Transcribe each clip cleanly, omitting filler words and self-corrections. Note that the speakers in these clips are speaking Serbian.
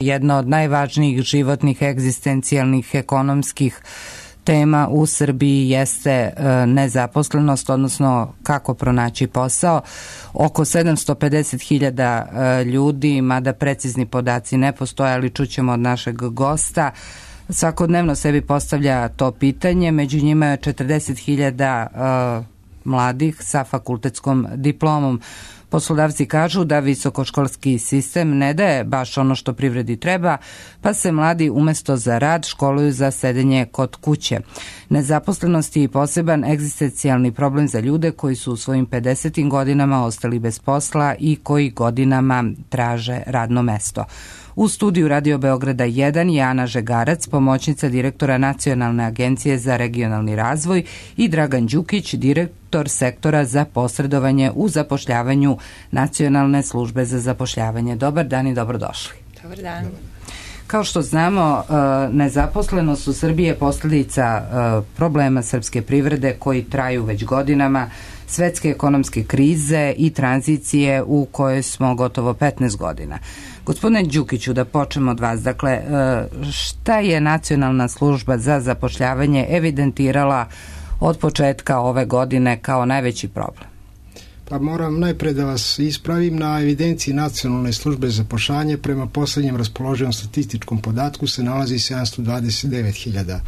Jedna od najvažnijih životnih, egzistencijalnih, ekonomskih tema u Srbiji jeste nezaposlenost, odnosno kako pronaći posao. Oko 750.000 ljudi, mada precizni podaci ne postoje, ali čućemo od našeg gosta, svakodnevno sebi postavlja to pitanje. Među njima je 40.000 mladih sa fakultetskom diplomom. Poslodavci kažu da visokoškolski sistem ne daje baš ono što privredi treba, pa se mladi umesto za rad školuju za sedenje kod kuće. Nezaposlenost je poseban egzistencijalni problem za ljude koji su u svojim 50. godinama ostali bez posla i koji godinama traže radno mesto. U studiju Radio Beograda 1 je Ana Žegarac, pomoćnica direktora Nacionalne agencije za regionalni razvoj, i Dragan Đukić, direktor sektora za posredovanje u zapošljavanju Nacionalne službe za zapošljavanje. Dobar dan i dobrodošli. Dobar dan. Kao što znamo, nezaposlenost u Srbiji je posljedica problema srpske privrede koji traju već godinama, svetske ekonomske krize i tranzicije u kojoj smo gotovo 15 godina. Gospodine Đukiću, da počnemo od vas. Dakle, šta je Nacionalna služba za zapošljavanje evidentirala od početka ove godine kao najveći problem? Pa moram najpre da vas ispravim. Na evidenciji Nacionalne službe za zapošljavanje prema poslednjem raspoloživom statističkom podatku se nalazi 729.000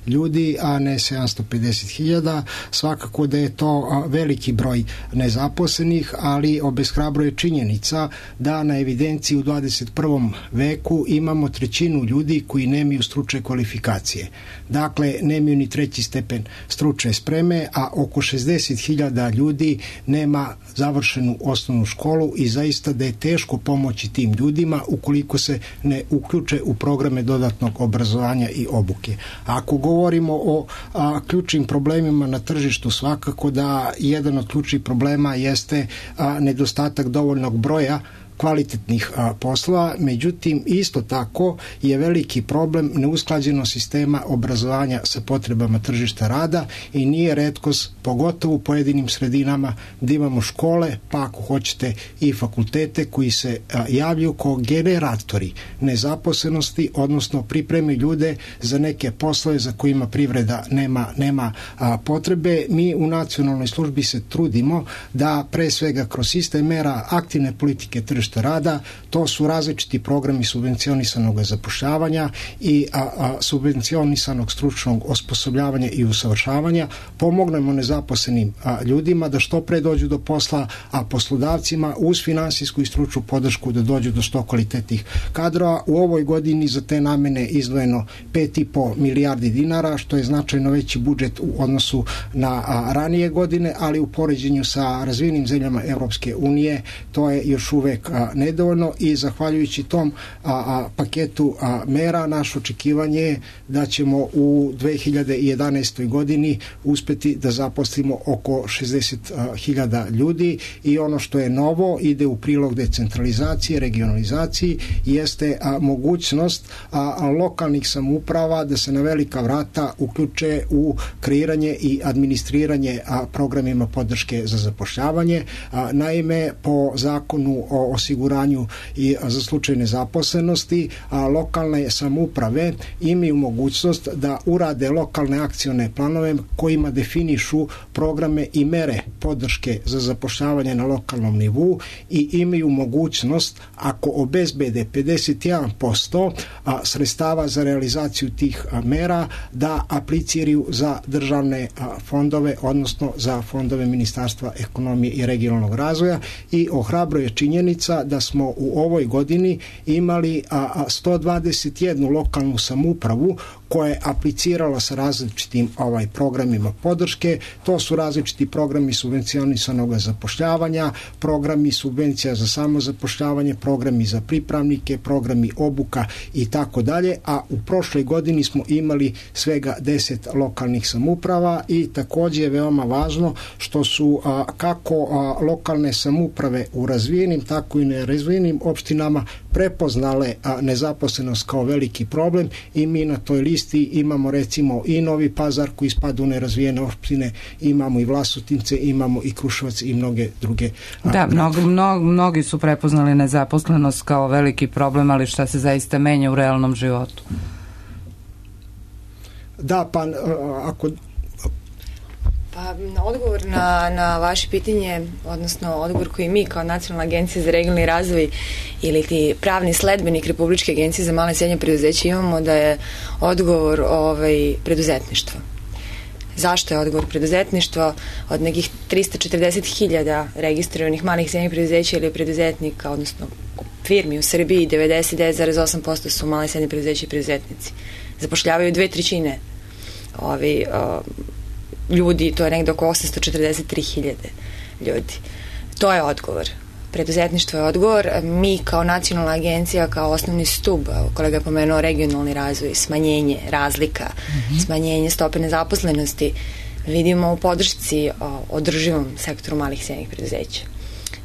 ljudi, a ne 750.000. Svakako da je to veliki broj nezaposlenih, ali obeshrabruje činjenica da na evidenciji u 21. veku imamo trećinu ljudi koji nemaju stručne kvalifikacije. Dakle, nemaju ni 3. stepen stručne spreme, a oko 60.000 ljudi nema završenu osnovnu školu i zaista da je teško pomoći tim ljudima ukoliko se ne uključe u programe dodatnog obrazovanja i obuke. Ako govorimo o ključnim problemima na tržištu, svakako da jedan od ključnih problema jeste nedostatak dovoljnog broja kvalitetnih poslova, međutim isto tako je veliki problem neusklađenost sistema obrazovanja sa potrebama tržišta rada i nije retkost, pogotovo u pojedinim sredinama, da imamo škole, pa ako hoćete i fakultete koji se javljaju kao generatori nezaposlenosti, odnosno pripremaju ljude za neke poslove za kojima privreda nema potrebe. Mi u Nacionalnoj službi se trudimo da pre svega kroz sistem mera aktivne politike tržišta rada, to su različiti programi subvencionisanog zapošljavanja i subvencionisanog stručnog osposobljavanja i usavršavanja, pomognemo nezaposlenim ljudima da što pre dođu do posla, a poslodavcima uz finansijsku i stručnu podršku da dođu do što kvalitetnih kadrova. U ovoj godini za te namene izdvojeno 5,5 milijardi dinara, što je značajno veći budžet u odnosu na ranije godine, ali u poređenju sa razvijenim zemljama Evropske unije to je još uvek nedovoljno i zahvaljujući tom paketu mera naše očekivanje je da ćemo u 2011. godini uspeti da zaposlimo oko 60.000 ljudi i ono što je novo ide u prilog decentralizacije, regionalizaciji, jeste mogućnost lokalnih samouprava da se na velika vrata uključe u kreiranje i administriranje programima podrške za zapošljavanje. Naime, po zakonu o osiguranju i za slučaj nezaposlenosti, lokalne samouprave imaju mogućnost da urade lokalne akcione planove kojima definišu programe i mere podrške za zapošljavanje na lokalnom nivou i imaju mogućnost, ako obezbede 51% sredstava za realizaciju tih mera, da apliciraju za državne fondove, odnosno za fondove Ministarstva ekonomije i regionalnog razvoja i ohrabruje činjenica da smo u ovoj godini imali 121 lokalnu samoupravu koja je aplicirala sa različitim programima podrške. To su različiti programi subvencionisanog zapošljavanja, programi subvencija za samozapošljavanje, programi za pripravnike, programi obuka i tako dalje, a u prošloj godini smo imali svega 10 lokalnih samouprava i takođe je veoma važno što su kako lokalne samouprave u razvijenim, tako Sandžaku i nerazvijenim opštinama prepoznale nezaposlenost kao veliki problem i mi na toj listi imamo recimo i Novi Pazar koji spada u nerazvijene opštine, imamo i Vlasotince, imamo i Kruševac i mnoge druge. Da, mnogi su prepoznali nezaposlenost kao veliki problem, ali šta se zaista menja u realnom životu? Da, pa ako... Pa odgovor na vaše pitanje, odnosno odgovor koji mi kao Nacionalna agencija za regionalni razvoj ili ti pravni sledbenik Republičke agencije za male i srednje preduzeće imamo da je odgovor preduzetništvo. Zašto je odgovor preduzetništvo? Od nekih 340.000 registrovanih malih i srednjih preduzeća ili preduzetnika, odnosno firmi u Srbiji, 99,8% su male i srednje preduzeće i preduzetnici. Zapošljavaju 2/3 ljudi, to je nekde oko 843.000 ljudi. To je odgovor. Preduzetništvo je odgovor. Mi kao nacionalna agencija, kao osnovni stub, kolega je pomenuo regionalni razvoj, smanjenje razlika, smanjenje stope nezaposlenosti, vidimo u podršci održivom sektoru malih i srednjih preduzeća.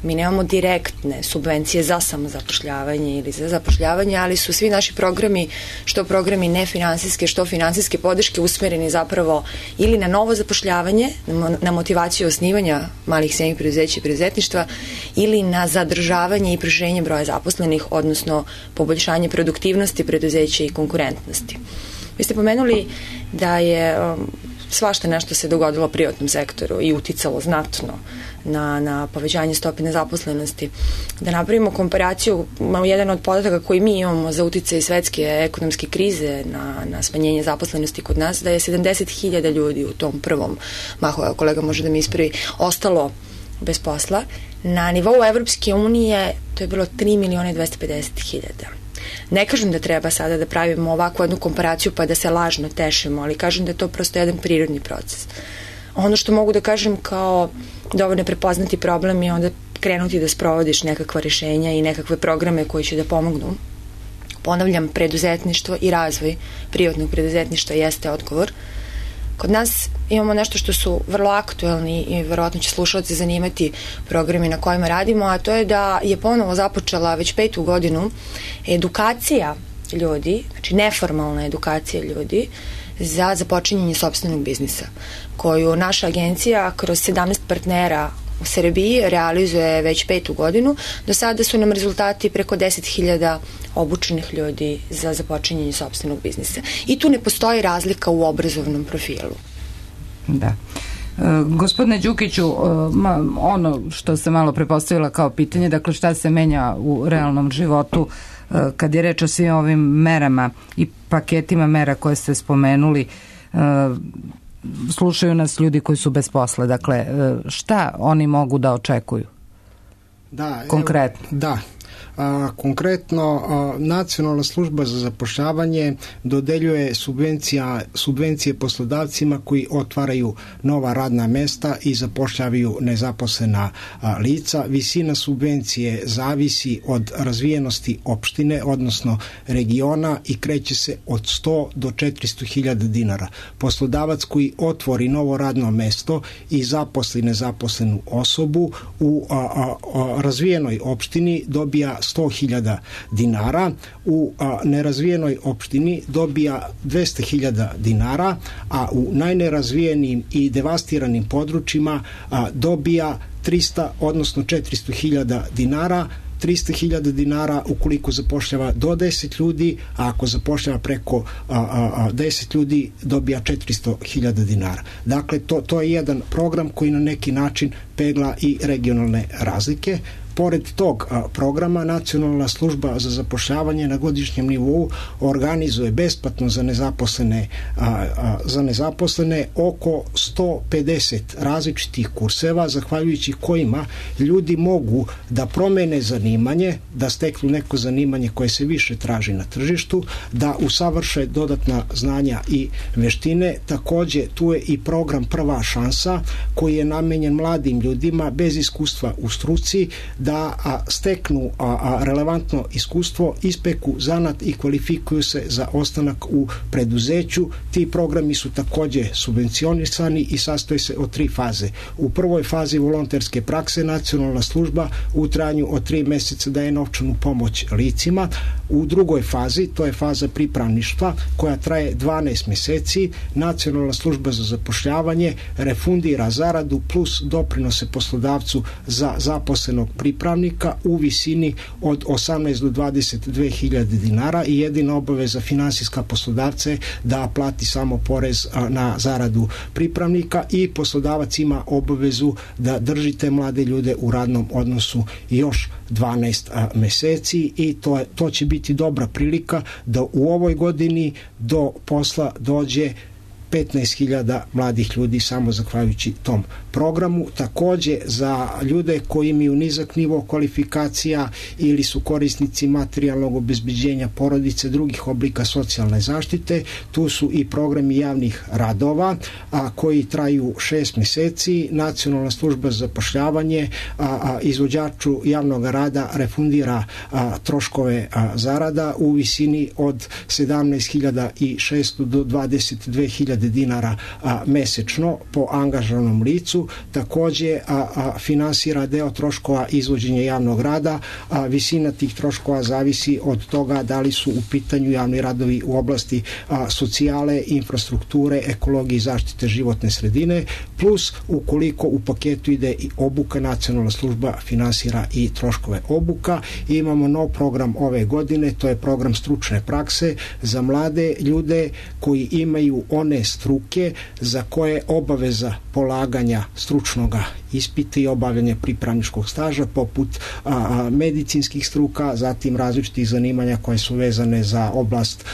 Mi nemamo direktne subvencije za samozapošljavanje ili za zapošljavanje, ali su svi naši programi, što programi nefinansijske, što finansijske podrške usmereni zapravo ili na novo zapošljavanje, na motivaciju osnivanja malih i srednjih preduzeća i preduzetništva ili na zadržavanje i proširenje broja zaposlenih, odnosno poboljšanje produktivnosti preduzeća i konkurentnosti. Vi ste pomenuli da je svašta nešto se dogodilo u privatnom sektoru i uticalo znatno na povećanje stope nezaposlenosti. Da napravimo komparaciju, jedan od podataka koji mi imamo za uticaj svetske ekonomske krize na smanjenje zaposlenosti kod nas, da je 70.000 ljudi u tom prvom mahu, kolega može da mi ispravi, ostalo bez posla. Na nivou Evropske unije to je bilo 3.250.000. Ne kažem da treba sada da pravimo ovakvu jednu komparaciju pa da se lažno tešimo, ali kažem da je to prosto jedan prirodni proces. Ono što mogu da kažem kao dovoljno prepoznati problem je onda krenuti da sprovodiš nekakva rešenja i nekakve programe koji će da pomognu. Ponavljam, preduzetništvo i razvoj privatnog preduzetništva jeste odgovor. Kod nas imamo nešto što su vrlo aktuelni i verovatno će slušalci zanimati programi na kojima radimo, a to je da je ponovo započela već 5. godinu edukacija ljudi, znači neformalna edukacija ljudi za započinjanje sopstvenog biznisa, koju naša agencija kroz 17 partnera u Srbiji realizuje već 5. godinu. Do sada su nam rezultati preko 10.000 obučenih ljudi za započinjanje sopstvenog biznisa. I tu ne postoji razlika u obrazovnom profilu. Da. Gospodine Đukiću, ono što se malo prepostavila kao pitanje, dakle šta se menja u realnom životu kad je reč o svim ovim merama i paketima mera koje ste spomenuli, slušaju nas ljudi koji su bez posla, dakle šta oni mogu da očekuju? Da, konkretno. Da. Konkretno, Nacionalna služba za zapošljavanje dodeljuje subvencije poslodavcima koji otvaraju nova radna mesta i zapošljavaju nezaposlena lica. Visina subvencije zavisi od razvijenosti opštine, odnosno regiona, i kreće se od 100 do 400.000 dinara. Poslodavac koji otvori novo radno mesto i zaposli nezaposlenu osobu u razvijenoj opštini dobija 100.000 dinara, u nerazvijenoj opštini dobija 200.000 dinara, a u najnerazvijenijim i devastiranim područjima dobija 300, odnosno 400.000 dinara. 300.000 dinara ukoliko zapošljava do 10 ljudi, a ako zapošljava preko 10 ljudi dobija 400.000 dinara. Dakle, to je jedan program koji na neki način pegla i regionalne razlike. Pored tog programa, Nacionalna služba za zapošljavanje na godišnjem nivou organizuje besplatno za nezaposlene oko 150 različitih kurseva, zahvaljujući kojima ljudi mogu da promene zanimanje, da steknu neko zanimanje koje se više traži na tržištu, da usavrše dodatna znanja i veštine. Takođe, tu je i program Prva šansa, koji je namenjen mladim ljudima bez iskustva u struci, da steknu relevantno iskustvo, ispeku zanat i kvalifikuju se za ostanak u preduzeću. Ti programi su takođe subvencionisani i sastoji se od 3 faze. U prvoj fazi volonterske prakse nacionalna služba u trajanju od 3 meseca daje novčanu pomoć licima. U drugoj fazi, to je faza pripravništva koja traje 12 meseci, nacionalna služba za zapošljavanje refundira zaradu plus doprinose poslodavcu za zaposlenog pripravnika u visini od 18 do 22.000 dinara i jedina obaveza finansijska poslodavca je da plati samo porez na zaradu pripravnika i poslodavac ima obavezu da drži te mlade ljude u radnom odnosu još 12 meseci i to će biti dobra prilika da u ovoj godini do posla dođe 15.000 mladih ljudi samo zahvaljujući tom programu. Takođe za ljude koji imaju nizak nivo kvalifikacija ili su korisnici materijalnog obezbeđenja porodice, drugih oblika socijalne zaštite, tu su i programi javnih radova koji traju 6 meseci. Nacionalna služba za zapošljavanje izvođaču javnog rada refundira troškove zarada u visini od 17.600 do 22.000 dinara mesečno po angažovanom licu. Takođe finansira deo troškova izvođenja javnog rada. Visina tih troškova zavisi od toga da li su u pitanju javni radovi u oblasti socijale, infrastrukture, ekologije i zaštite životne sredine, plus ukoliko u paketu ide i obuka, nacionalna služba finansira i troškove obuka. I imamo nov program ove godine, to je program stručne prakse za mlade ljude koji imaju one struke za koje obaveza polaganja stručnog ispita i obavljanja pripravničkog staža poput medicinskih struka, zatim različitih zanimanja koje su vezane za oblast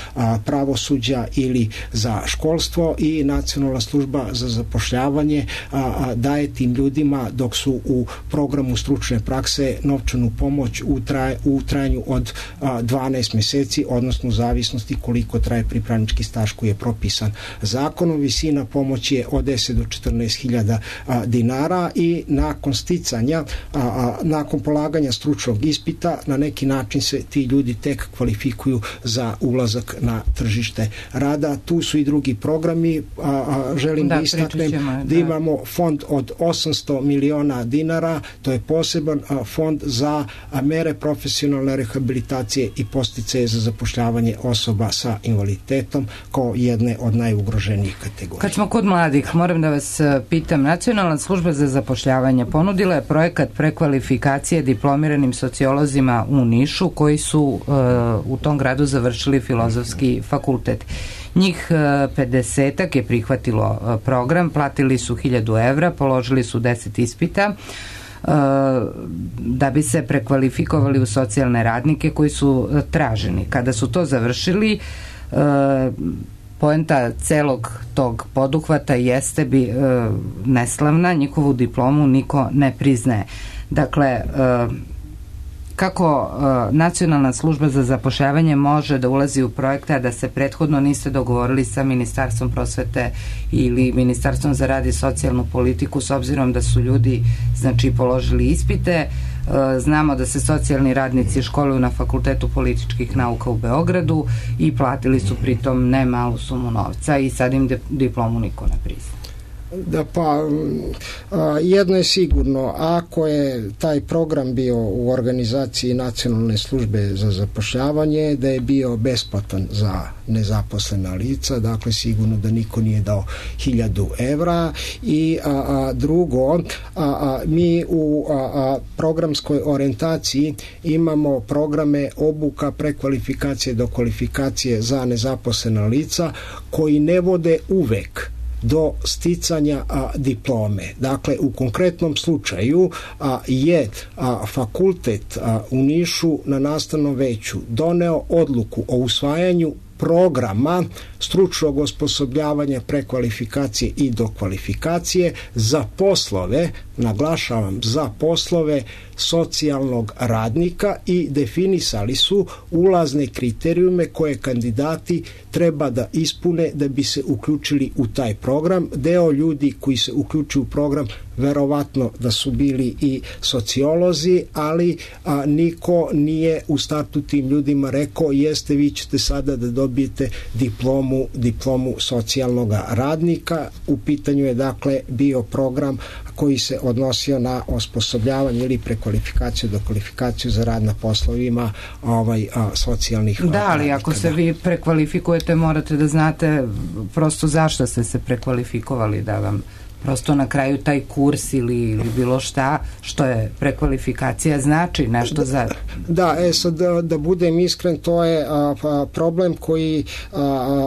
pravosuđa ili za školstvo i nacionalna služba za zapošljavanje daje tim ljudima dok su u programu stručne prakse novčanu pomoć u trajanju od 12 meseci, odnosno u zavisnosti koliko traje pripravnički staž koji je propisan zakonom. Visina pomoći je od 10 do 14.000 dinara i nakon sticanja, nakon polaganja stručnog ispita, na neki način se ti ljudi tek kvalifikuju za ulazak na tržište rada. Tu su i drugi programi. Želim da istaknem da imamo fond od 800 miliona dinara, to je poseban fond za mere profesionalne rehabilitacije i podsticaje za zapošljavanje osoba sa invaliditetom kao jedne od najugroženijih kategorija. Kad smo kod mladih, moram da vas pitam, Nacionalna služba za zapošljavanje ponudila je projekat prekvalifikacije diplomiranim sociolozima u Nišu koji su u tom gradu završili Filozofski fakultet. Njih 50-ak je prihvatilo program, platili su 1.000 evra, položili su 10 ispita da bi se prekvalifikovali u socijalne radnike koji su traženi. Kada su to završili, poenta celog tog poduhvata jeste neslavna, njihovu diplomu niko ne priznaje. Dakle, kako Nacionalna služba za zapošljavanje može da ulazi u projekte, a da se prethodno niste dogovorili sa Ministarstvom prosvete ili Ministarstvom za rad i socijalnu politiku, s obzirom da su ljudi položili ispite? Znamo da se socijalni radnici školuju na Fakultetu političkih nauka u Beogradu i platili su pritom ne malu sumu novca i sad im diplomu niko ne prizna. Da, jedno je sigurno, ako je taj program bio u organizaciji Nacionalne službe za zapošljavanje, da je bio besplatan za nezaposlena lica, dakle sigurno da niko nije dao 1.000 evra i drugo, mi u programskoj orijentaciji imamo programe obuka prekvalifikacije do kvalifikacije za nezaposlena lica koji ne vode uvek do sticanja diplome. Dakle, u konkretnom slučaju je fakultet u Nišu na nastavnom veću doneo odluku o usvajanju programa stručnog osposobljavanja prekvalifikacije i dokvalifikacije za poslove, naglašavam, za poslove socijalnog radnika i definisali su ulazne kriterijume koje kandidati treba da ispune da bi se uključili u taj program. Deo ljudi koji se uključuju u program verovatno da su bili i sociolozi, ali niko nije u startu tim ljudima rekao jeste, vi ćete sada da dobijete diplomu socijalnog radnika. U pitanju je dakle bio program koji se odnosio na osposobljavanje ili prekvalifikaciju do kvalifikaciju za rad na poslovima socijalnih radnika. Da, ali ako se vi prekvalifikujete, morate da znate prosto zašto ste se prekvalifikovali, da vam prosto na kraju taj kurs ili bilo šta što je prekvalifikacija znači nešto za... Da, sad da budem iskren, to je problem koji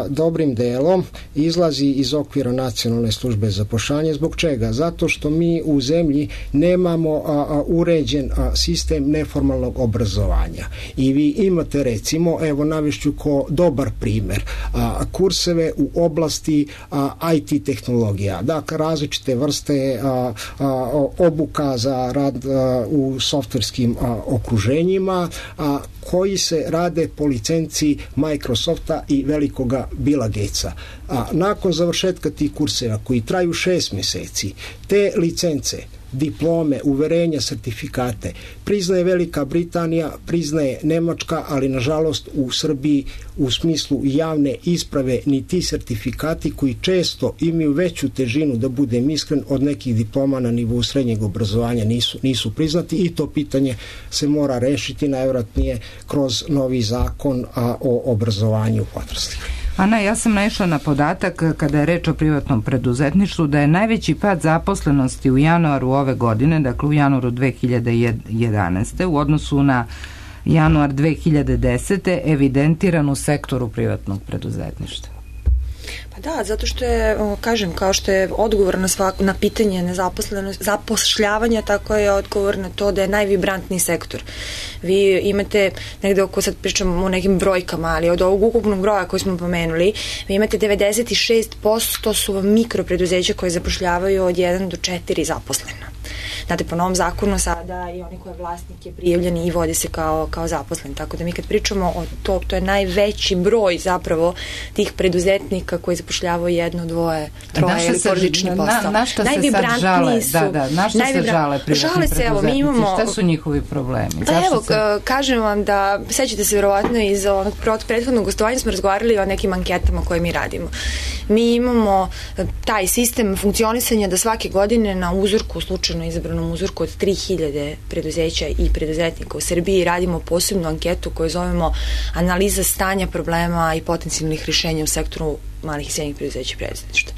dobrim delom izlazi iz okvira Nacionalne službe za zapošljavanje. Zbog čega? Zato što mi u zemlji nemamo uređen sistem neformalnog obrazovanja. I vi imate recimo, evo navešću ko dobar primer, kurseve u oblasti IT tehnologija. Dakle, različite vrste obuka za rad u softverskim okruženjima koji se rade po licenciji Microsofta i velikoga Billa Gatesa. Nakon završetka tih kurseva koji traju 6 meseci, te licence, diplome, uverenja, sertifikate priznaje Velika Britanija, priznaje Nemačka, ali nažalost u Srbiji u smislu javne isprave ni ti sertifikati koji često imaju veću težinu, da budem iskren, od nekih diploma na nivou srednjeg obrazovanja nisu priznati i to pitanje se mora rešiti najvjerojatnije kroz novi zakon o obrazovanju odraslih. Ana, ja sam naišla na podatak kada je reč o privatnom preduzetništvu da je najveći pad zaposlenosti u januaru ove godine, dakle u januaru 2011. u odnosu na januar 2010. evidentiran u sektoru privatnog preduzetništva. Pa da, zato što je, kažem, kao što je odgovor na pitanje zapošljavanja, tako je odgovor na to da je najvibrantniji sektor. Vi imate negde oko, sad pričamo o nekim brojkama, ali od ovog ukupnog broja koji smo pomenuli, vi imate 96% su vam mikropreduzeća koje zapošljavaju od 1 do 4 zaposlena. Znate, po novom zakonu sada i oni koji je vlasnik je prijavljen i vodi se kao zaposlen. Tako da mi kad pričamo o to je najveći broj zapravo tih preduzetnika koji zapošljavaju 1, 2, 3 ili porodični posao. Na šta se sad žale? Na šta se žale privatni preduzetnici? Šta su njihovi problemi? Pa evo, kažem vam da, sećate se verovatno iz onog prethodnog gostovanja smo razgovarali o nekim anketama koje mi radimo. Mi imamo taj sistem funkcionisanja da svake godine na uzorku, slučajno izabranom uzorku od 3000 preduzeća i preduzetnika u Srbiji radimo posebnu anketu koju zovemo analiza stanja problema i potencijalnih rješenja u sektoru malih i srednjih preduzeća i preduzetništva.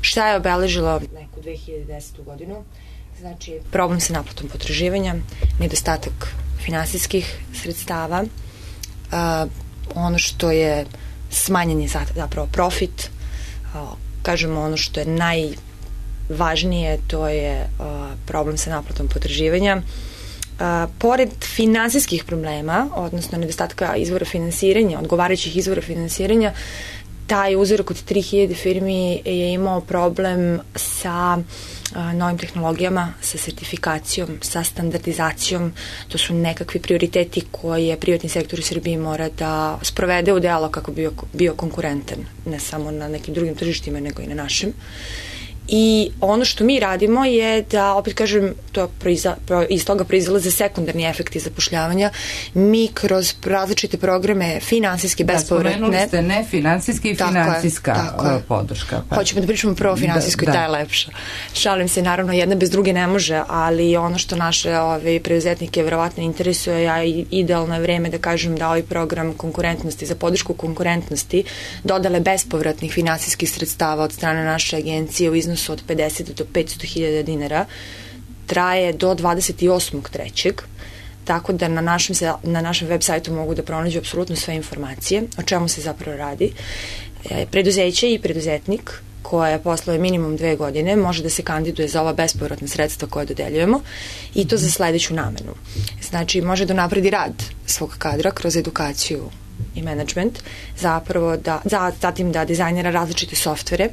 Šta je obeležilo neku 2010. godinu? Znači, problem sa naplatom potraživanja, nedostatak finansijskih sredstava, ono što je smanjen je zapravo profit, kažemo ono što je najvažnije, to je problem sa naplatom potraživanja. Pored finansijskih problema, odnosno nedostatka izvora finansiranja, odgovarajućih izvora finansiranja, taj uzorak od 3000 firmi je imao problem sa novim tehnologijama, sa sertifikacijom, sa standardizacijom. To su nekakvi prioriteti koje privatni sektor u Srbiji mora da sprovede u delo kako bi bio konkurentan, ne samo na nekim drugim tržištima, nego i na našem. I ono što mi radimo je da, opet kažem, iz toga proizilaze sekundarni efekti zapošljavanja. Mi kroz različite programe finansijske, bespovratne... Da, spomenuli ste ne finansijski i finansijska podrška. Pa. Hoćemo da pričamo prvo finansijsko i ta je lepša. Šalim se, naravno, jedna bez druge ne može, ali ono što naše preduzetnike verovatno interesuje, a idealno je vreme da kažem da ovaj program konkurentnosti, za podršku konkurentnosti, dodale bespovratnih finansijskih sredstava od strane naše agencije u iznosu od 50 do 500.000 dinara, traje do 28.3. Tako da na našem web sajtu mogu da pronađu apsolutno sve informacije o čemu se zapravo radi. Preduzeće i preduzetnik koje posluje minimum 2 godine može da se kandiduje za ova bespovratna sredstva koje dodeljujemo i to za sledeću namenu. Znači, može da napredi rad svog kadra kroz edukaciju i management, zatim da dizajnira različite softvere,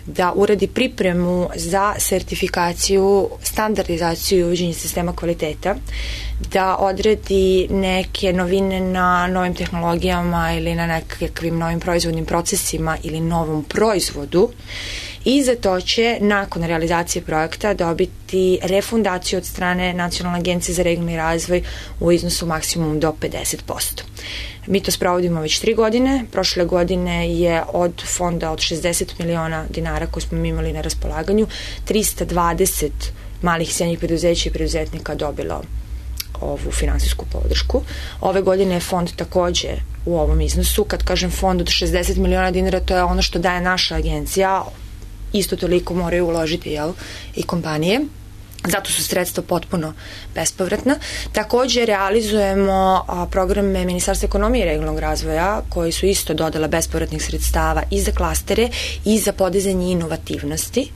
da uradi pripremu za sertifikaciju, standardizaciju i uvođenje sistema kvaliteta, da odredi neke novine na novim tehnologijama ili na nekakvim novim proizvodnim procesima ili novom proizvodu, i za to će nakon realizacije projekta dobiti refundaciju od strane Nacionalne agencije za regionalni razvoj u iznosu maksimum do 50%. Mi to sprovodimo već 3 godine. Prošle godine je od fonda od 60 miliona dinara koje smo mi imali na raspolaganju 320 malih i srednjih preduzeća i preduzetnika dobilo ovu finansijsku podršku. Ove godine je fond takođe u ovom iznosu. Kad kažem fond od 60 miliona dinara, to je ono što daje naša agencija, isto toliko moraju uložiti i kompanije. Zato su sredstva potpuno bespovratna. Takođe realizujemo programe Ministarstva ekonomije i regionalnog razvoja koji su isto dodala bespovratnih sredstava i za klastere i za podizanje inovativnosti.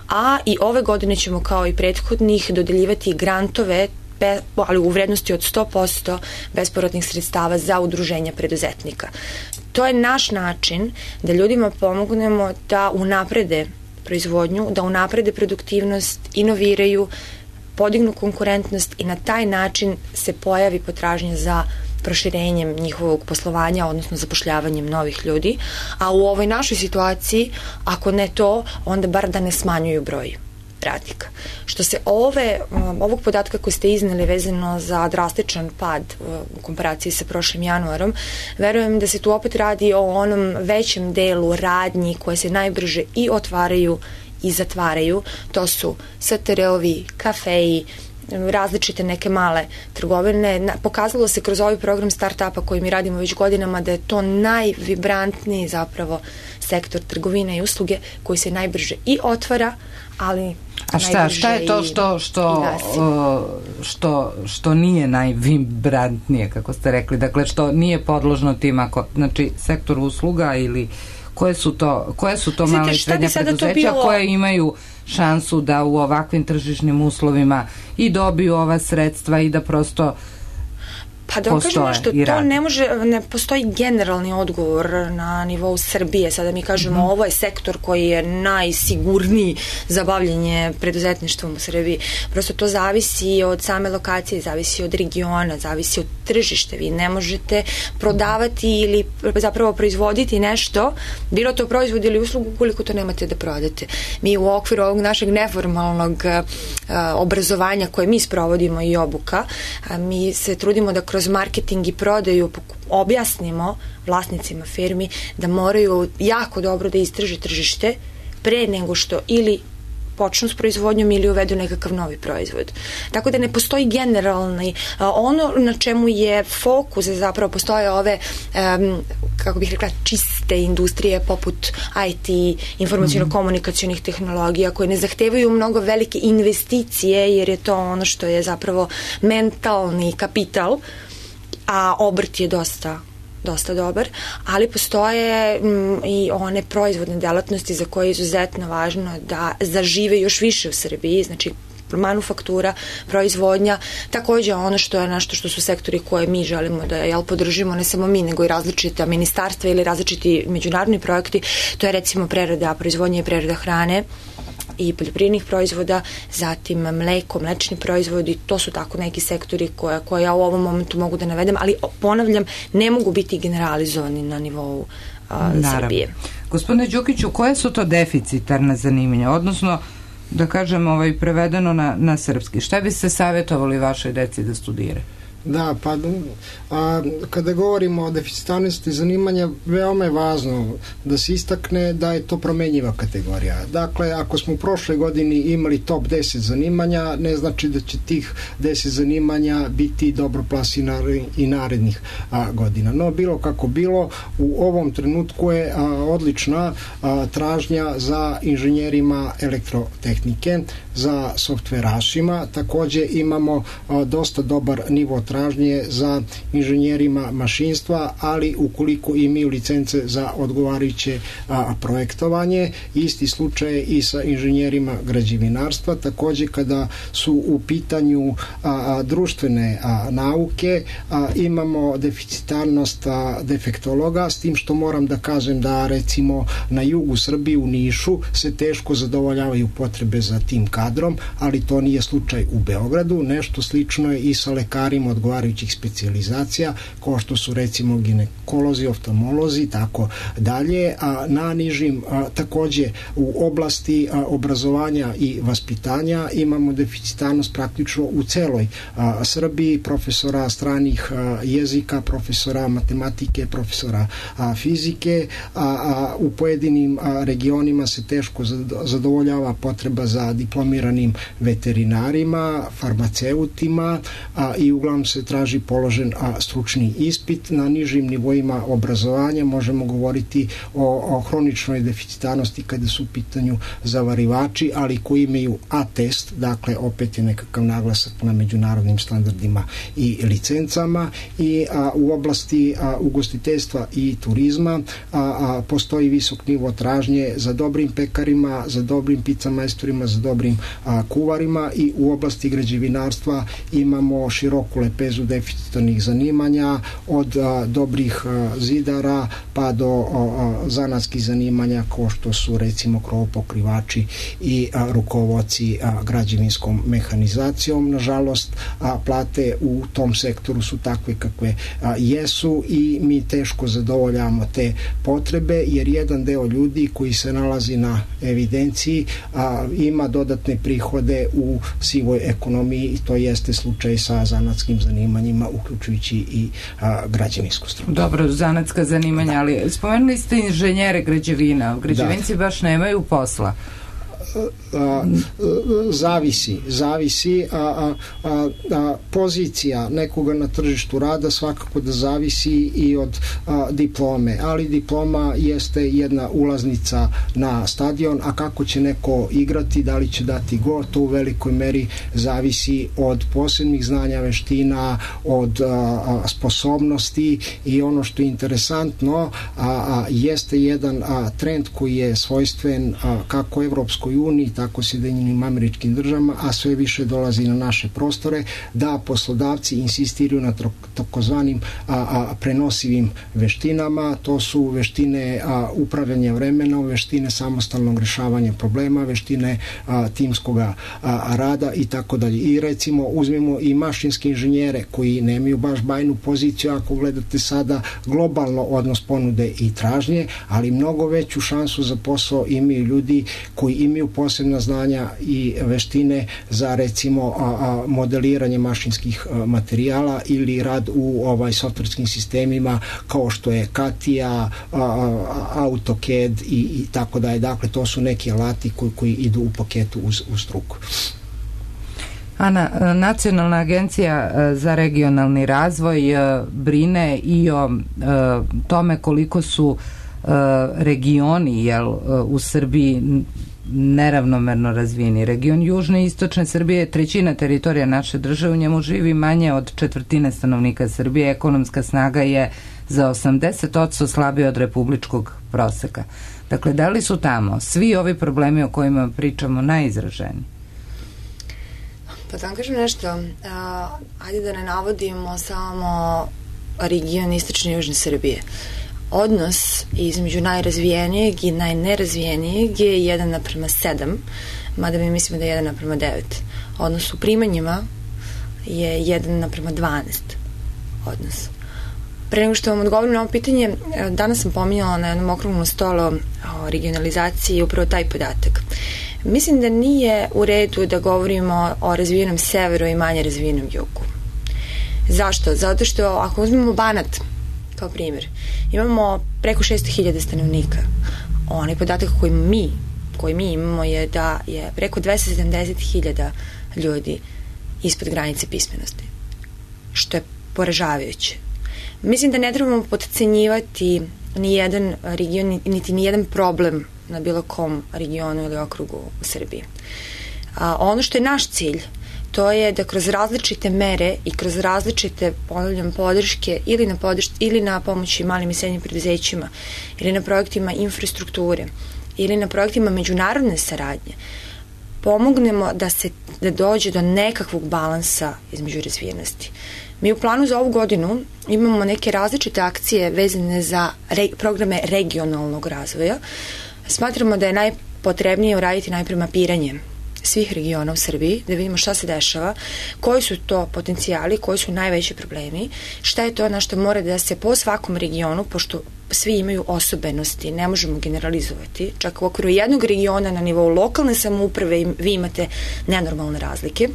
A i ove godine ćemo kao i prethodnih dodeljivati grantove, ali u vrednosti od 100% bespovratnih sredstava za udruženja preduzetnika. To je naš način da ljudima pomognemo da unaprede proizvodnju, da unaprede produktivnost, inoviraju, podignu konkurentnost i na taj način se pojavi potražnja za proširenjem njihovog poslovanja, odnosno zapošljavanjem novih ljudi, a u ovoj našoj situaciji, ako ne to, onda bar da ne smanjuju broj radnika. Što se ovog podatka koji ste izneli vezano za drastičan pad u komparaciji sa prošlim januarom, verujem da se tu opet radi o onom većem delu radnji koje se najbrže i otvaraju i zatvaraju. To su STR-ovi, kafeji, različite neke male trgovine. Pokazalo se kroz ovaj program start-upa koji mi radimo već godinama da je to najvibrantniji zapravo sektor trgovine i usluge koji se najbrže i otvara, ali a šta je to što nije najvibrantnije, kako ste rekli, dakle što nije podložno tim, znači sektor usluga ili koje su to male i srednja preduzeća koje imaju šansu da u ovakvim tržišnim uslovima i dobiju ova sredstva i da prosto pa da vam kažem nešto, to ne postoji generalni odgovor na nivou Srbije. Sada mi kažemo ovo je sektor koji je najsigurniji za bavljenje preduzetništvom u Srbiji. Prosto to zavisi od same lokacije, zavisi od regiona, zavisi od tržišta. Vi ne možete prodavati ili zapravo proizvoditi nešto, bilo to proizvod ili uslugu, koliko to nemate da prodate. Mi u okviru ovog našeg neformalnog obrazovanja koje mi sprovodimo i obuka, mi se trudimo da kroz marketing i prodaju objasnimo vlasnicima firmi da moraju jako dobro da istraže tržište pre nego što ili počnu s proizvodnjom ili uvedu nekakav novi proizvod. Tako da ne postoji generalni, ono na čemu je fokus, zapravo postoje ove, kako bih rekla, čiste industrije poput IT, informacijno-komunikacionih tehnologija koje ne zahtevaju mnogo velike investicije jer je to ono što je zapravo mentalni kapital, a obrt je dosta dobar, ali postoje i one proizvodne delatnosti za koje je izuzetno važno da zažive još više u Srbiji, znači manufaktura, proizvodnja, takođe ono što je nešto što su sektori koje mi želimo da podržimo, ne samo mi, nego i različita ministarstva ili različiti međunarodni projekti, to je recimo proizvodnja i prerada hrane i poljoprivrednih proizvoda, zatim mleko, mlečni proizvodi, to su tako neki sektori koje ja u ovom momentu mogu da navedem, ali ponavljam, ne mogu biti generalizovani na nivou Srbije. Gospodine Đukiću, koje su to deficitarne zanimanja, odnosno da kažem prevedeno na srpski, šta biste savjetovali vašoj deci da studiraju? Da, pa kada govorimo o deficitarnosti zanimanja, veoma je važno da se istakne da je to promenjiva kategorija. Dakle, ako smo u prošloj godini imali top 10 zanimanja, ne znači da će tih 10 zanimanja biti dobro plasirani i narednih godina. No, bilo kako bilo, u ovom trenutku je odlična tražnja za inženjerima elektrotehnike, za softverašima. Takođe imamo dosta dobar nivo tražnje za inženjerima mašinstva, ali ukoliko imaju licence za odgovarajuće projektovanje. Isti slučaj i sa inženjerima građevinarstva. Takođe, kada su u pitanju društvene nauke, imamo deficitarnost defektologa, s tim što moram da kažem da recimo na jugu Srbije u Nišu se teško zadovoljavaju potrebe za tim kadrom, ali to nije slučaj u Beogradu. Nešto slično je i sa lekarima odgovarajućih specijalizacija, kao što su recimo ginekolozi, oftalmolozi, tako dalje. Na nižim, takođe u oblasti obrazovanja i vaspitanja imamo deficitarnost praktično u celoj Srbiji, profesora stranih jezika, profesora matematike, profesora fizike, u pojedinim regionima se teško zadovoljava potreba za diplomiranim veterinarima, farmaceutima i uglavnom se traži položen stručni ispit. Na nižim nivoima obrazovanja možemo govoriti o hroničnoj deficitarnosti kada su u pitanju zavarivači, ali koji imaju A-test, dakle opet je nekakav naglasak na međunarodnim standardima i licencama, i u oblasti ugostiteljstva i turizma postoji visok nivo tražnje za dobrim pekarima, za dobrim pizza majstorima, za dobrim kuvarima, i u oblasti građevinarstva imamo široku lepezu deficitarnih zanimanja, od dobrih zidara pa do zanatskih zanimanja kao što su recimo krovopokrivači i rukovodci građevinskom mehanizacijom. Nažalost, plate u tom sektoru su takve kakve jesu i mi teško zadovoljavamo te potrebe, jer jedan deo ljudi koji se nalazi na evidenciji ima dodatne prihode u sivoj ekonomiji, i to jeste slučaj sa zanatskim zanimanjima, uključujući i građevinsku struku. Dobro, zanatska zanimanja, ali spomenuli ste inženjere građevina. Građevinci baš nemaju posla. Zavisi pozicija nekoga na tržištu rada svakako da zavisi i od diplome, ali diploma jeste jedna ulaznica na stadion, a kako će neko igrati, da li će dati gol, to u velikoj meri zavisi od posebnih znanja, veština, od sposobnosti, i ono što je interesantno jeste jedan trend koji je svojstven kako Evropskoj uniji, tako Sjedinjenim Američkim Državama, a sve više dolazi na naše prostore, da poslodavci insistiraju na takozvanim prenosivim veštinama. To su veštine upravljanja vremenom, veštine samostalnog rešavanja problema, veštine timskog rada i tako dalje. I recimo uzmemo i mašinske inženjere koji nemaju baš bajnu poziciju ako gledate sada globalno odnos ponude i tražnje, ali mnogo veću šansu za posao imaju ljudi koji imaju posebna znanja i veštine za recimo modeliranje mašinskih materijala ili rad u softverskim sistemima kao što je CATIA, AutoCAD i tako dalje. Dakle, to su neki alati koji idu u paketu uz struku. Ana, Nacionalna agencija za regionalni razvoj brine i o tome koliko su regioni u Srbiji neravnomerno razvijeni. Region južne i istočne Srbije je trećina teritorija naše države, u njemu živi manje od četvrtine stanovnika Srbije, ekonomska snaga je za 80% slabija od republičkog proseka. Dakle, da li su tamo svi ovi problemi o kojima pričamo najizraženiji? Pa da vam kažem nešto, ajde da ne navodimo samo region istočne i južne Srbije. Odnos između najrazvijenijeg i najnerazvijenijeg je 1:7, mada mi mislimo da je 1:9. Odnos u primanjima je 1:12 odnos. Pre nego što vam odgovorim na ovo pitanje, danas sam pominjala na jednom okruglom stolu o regionalizaciji upravo taj podatak. Mislim da nije u redu da govorimo o razvijenom severu i manje razvijenom jugu. Zašto? Zato što ako uzmemo Banat kao primjer, imamo preko 600.000 stanovnika. Onaj podatak koji mi imamo je da je preko 270.000 ljudi ispod granice pismenosti, što je poražavajuće. Mislim da ne trebamo podcenjivati ni jedan region, niti ni jedan problem na bilo kom regionu ili okrugu u Srbiji. Ono što je naš cilj, to je da kroz različite mere i kroz različite, ponavljam, podrške ili na pomoći malim i srednjim preduzećima, ili na projektima infrastrukture, ili na projektima međunarodne saradnje, pomognemo da dođe do nekakvog balansa između razvijenosti. Mi u planu za ovu godinu imamo neke različite akcije vezane za programe regionalnog razvoja. Smatramo da je najpotrebnije uraditi najpre mapiranje svih regiona u Srbiji, da vidimo šta se dešava, koji su to potencijali, koji su najveći problemi, šta je to na što mora da se po svakom regionu, pošto svi imaju osobenosti, ne možemo generalizovati, čak u okviru jednog regiona na nivou lokalne samouprave vi imate nenormalne razlike.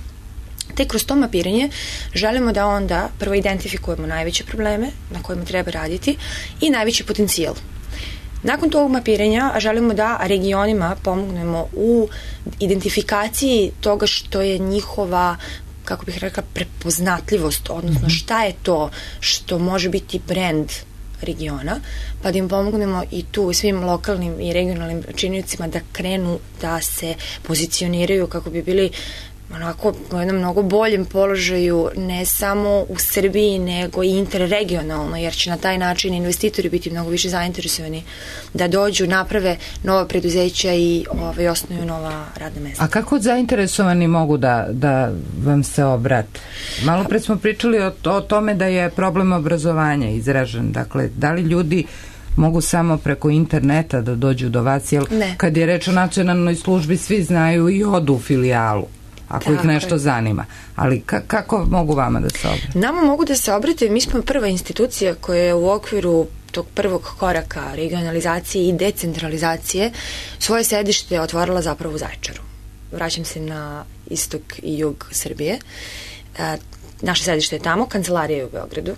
Te kroz to mapiranje želimo da onda prvo identifikujemo najveće probleme na kojima treba raditi i najveći potencijal. Nakon tog mapiranja želimo da regionima pomognemo u identifikaciji toga što je njihova, kako bih rekla, prepoznatljivost, odnosno šta je to što može biti brand regiona, pa da im pomognemo i tu svim lokalnim i regionalnim činiocima da krenu da se pozicioniraju kako bi bili onako u jednom mnogo boljem položaju ne samo u Srbiji nego i interregionalno, jer će na taj način investitori biti mnogo više zainteresovani da dođu, naprave nova preduzeća i osnuju nova radna mesta. A kako zainteresovani mogu da vam se obrate? Malo pre smo pričali o tome da je problem obrazovanja izražen. Dakle, da li ljudi mogu samo preko interneta da dođu do vas? Jer kad je reč o nacionalnoj službi, svi znaju i odu u filijalu ako ih nešto zanima. Ali kako mogu vama da se obrate? Nama mogu da se obrate, mi smo prva institucija koja je u okviru tog prvog koraka regionalizacije i decentralizacije svoje sedište otvorila zapravo u Zaječaru. Vraćam se na istok i jug Srbije. Naše sedište je tamo, kancelarija je u Beogradu.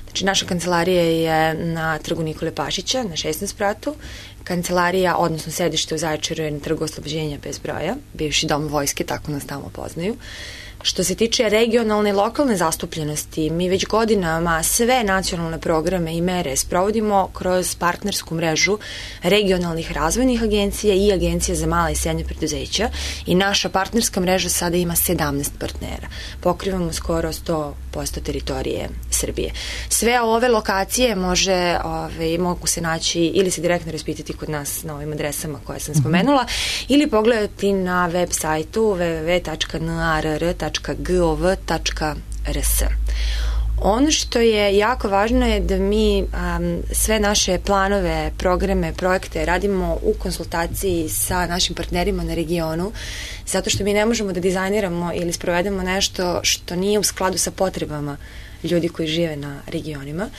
Znači, naša kancelarija je na trgu Nikole Pašića, na 16 spratu. Kancelarija, odnosno sedište u Zaječaru je na trgu Oslobođenja bez broja, bivši dom vojske, tako nas tamo poznaju. Što se tiče regionalne i lokalne zastupljenosti, mi već godinama sve nacionalne programe i mere sprovodimo kroz partnersku mrežu regionalnih razvojnih agencija i agencija za mala i srednja preduzeća i naša partnerska mreža sada ima 17 partnera. Pokrivamo skoro 100% teritorije Srbije. Sve ove lokacije mogu se naći ili se direktno raspitati kod nas na ovim adresama koje sam spomenula ili pogledati na web sajtu www.narr.gov.rs. Ono što je jako važno je da mi sve naše planove, programe, projekte radimo u konsultaciji sa našim partnerima na regionu, zato što mi ne možemo da dizajniramo ili sprovedemo nešto što nije u skladu sa potrebama ljudi koji žive na regionima.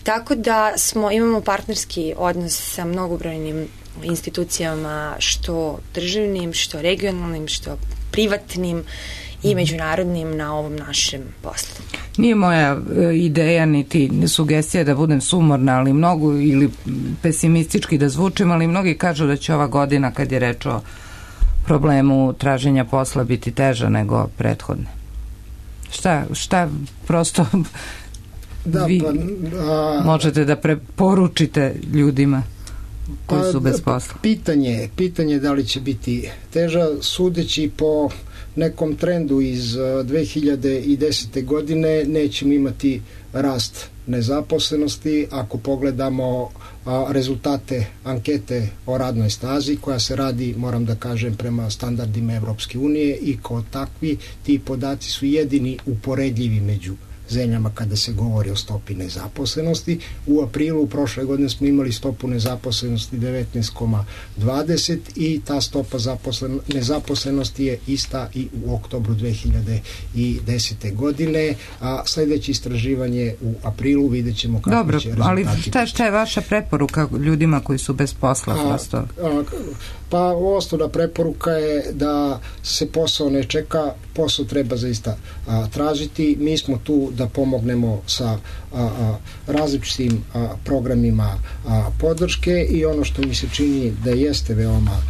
Tako da imamo partnerski odnos sa mnogobrojnim institucijama, što državnim, što regionalnim, što privatnim i međunarodnim na ovom našem poslu. Nije moja ideja niti sugestija da budem sumorna, ali mnogo, ili pesimistički da zvučim, ali mnogi kažu da će ova godina, kad je reč o problemu traženja posla, biti teža nego prethodne. Šta prosto vi možete da preporučite ljudima koji su bez posla? Pitanje da li će biti teža, sudeći po nekom trendu iz 2010. godine nećemo imati rast nezaposlenosti. Ako pogledamo rezultate ankete o radnoj snazi koja se radi, moram da kažem, prema standardima Evropske unije i kao takvi ti podaci su jedini uporedljivi među zemljama kada se govori o stopi nezaposlenosti. U aprilu prošle godine smo imali stopu nezaposlenosti 19,20 i ta stopa nezaposlenosti je ista i u oktobru 2010. godine, a sledeće istraživanje u aprilu vidjet ćemo kako će rezultati. Dobro, ali šta je vaša preporuka ljudima koji su bez posla? Pa osnovna preporuka je da se posao ne čeka, posao treba zaista tražiti. Mi smo tu da pomognemo sa različitim programima podrške i ono što mi se čini da jeste veoma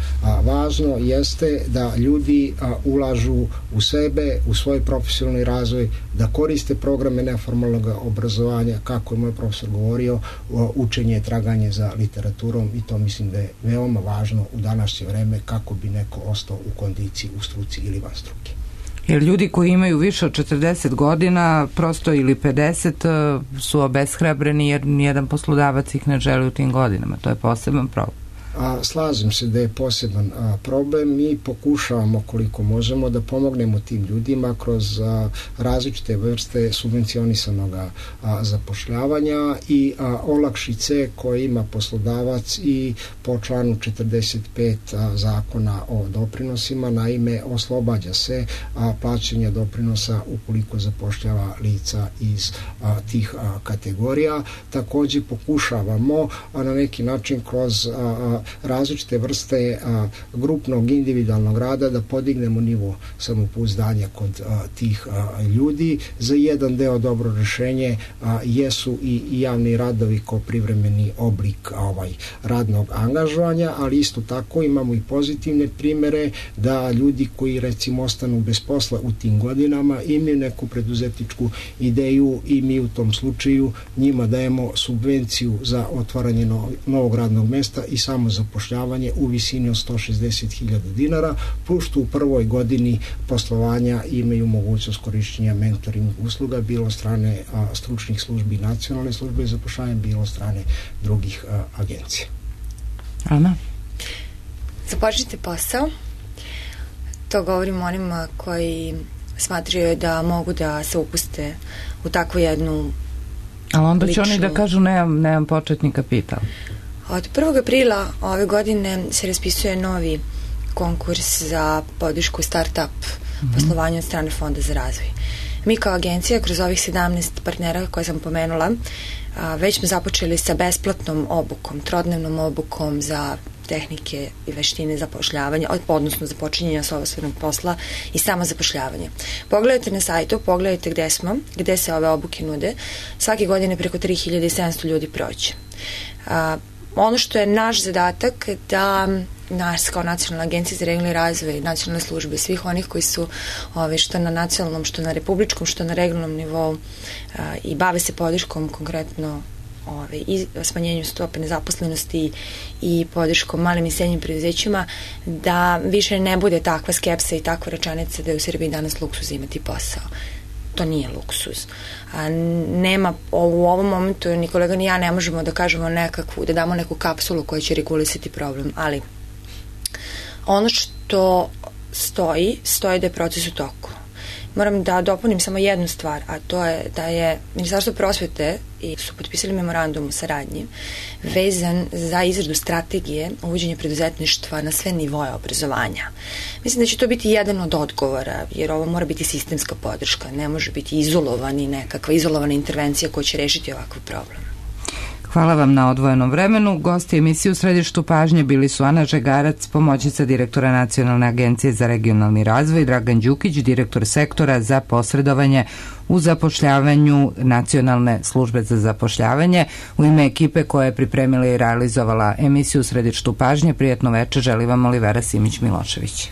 važno jeste da ljudi ulažu u sebe, u svoj profesionalni razvoj, da koriste programe neformalnog obrazovanja, kako je moj profesor govorio, učenje, traganje za literaturom, i to mislim da je veoma važno u današnje vreme kako bi neko ostao u kondiciji, u struci ili van struke. Jer ljudi koji imaju više od 40 godina, prosto ili 50, su obeshrabreni jer nijedan poslodavac ih ne želi u tim godinama. To je poseban problem. Slažem se da je poseban problem. Mi pokušavamo koliko možemo da pomognemo tim ljudima kroz različite vrste subvencionisanog zapošljavanja i olakšice koje ima poslodavac i po članu 45 zakona o doprinosima. Naime, oslobađa se plaćanja doprinosa ukoliko zapošljava lica iz tih kategorija. Takođe pokušavamo na neki način kroz različite vrste grupnog individualnog rada da podignemo nivo samopouzdanja kod tih ljudi. Za jedan deo dobro rešenje jesu i javni radovi kao privremeni oblik radnog angažovanja, ali isto tako imamo i pozitivne primere da ljudi koji recimo ostanu bez posla u tim godinama imaju neku preduzetničku ideju i mi u tom slučaju njima dajemo subvenciju za otvaranje novog radnog mesta i samo zapošljavanje u visini od 160.000 dinara, plus što u prvoj godini poslovanja imaju mogućnost korišćenja mentoring usluga, bilo strane stručnih službi nacionalne službe za zapošljavanje, bilo strane drugih agencija. Ana? Započnite posao. To govorim onima koji smatraju da mogu da se upuste u takvu jednu ali onda će oni da kažu nemam početni kapital. Od 1. aprila ove godine se raspisuje novi konkurs za podršku start-up poslovanju od strane Fonda za razvoj. Mi kao agencija kroz ovih 17 partnera koje sam pomenula već smo započeli sa besplatnom obukom, trodnevnom obukom za tehnike i veštine zapošljavanja, odnosno za počinjenja sopstvenog posla i samo zapošljavanje. Pogledajte na sajtu, pogledajte gde smo, gde se ove obuke nude. Svake godine preko 3700 ljudi prođe. Ono što je naš zadatak da nas kao Nacionalna agencija za regionalni razvoj, nacionalne službe, svih onih koji su što na nacionalnom, što na republičkom, što na regionalnom nivou i bave se podrškom konkretno i smanjenju stope nezaposlenosti i podrškom malim i srednjim preduzećima, da više ne bude takva skepsa i takva rečenica da je u Srbiji danas luksuz imati posao. To nije luksuz. Nema, u ovom momentu ni kolega ni ja ne možemo da kažemo da damo neku kapsulu koja će regulisati problem, ali ono što stoji da je proces u toku. Moram da dopunim samo jednu stvar, a to je da je Ministarstvo prosvete i su potpisali memorandum o saradnji vezan za izradu strategije uvođenja preduzetništva na sve nivoje obrazovanja. Mislim da će to biti jedan od odgovora, jer ovo mora biti sistemska podrška, ne može biti nekakva izolovana intervencija koja će rešiti ovakav problem. Hvala vam na odvojenom vremenu. Gosti emisije u središtu pažnje bili su Ana Žegarac, pomoćnica direktora Nacionalne agencije za regionalni razvoj, Dragan Đukić, direktor sektora za posredovanje u zapošljavanju Nacionalne službe za zapošljavanje. U ime ekipe koja je pripremila i realizovala emisiju u središtu pažnje, prijatno večer želi vam Olivera Simić-Milošević.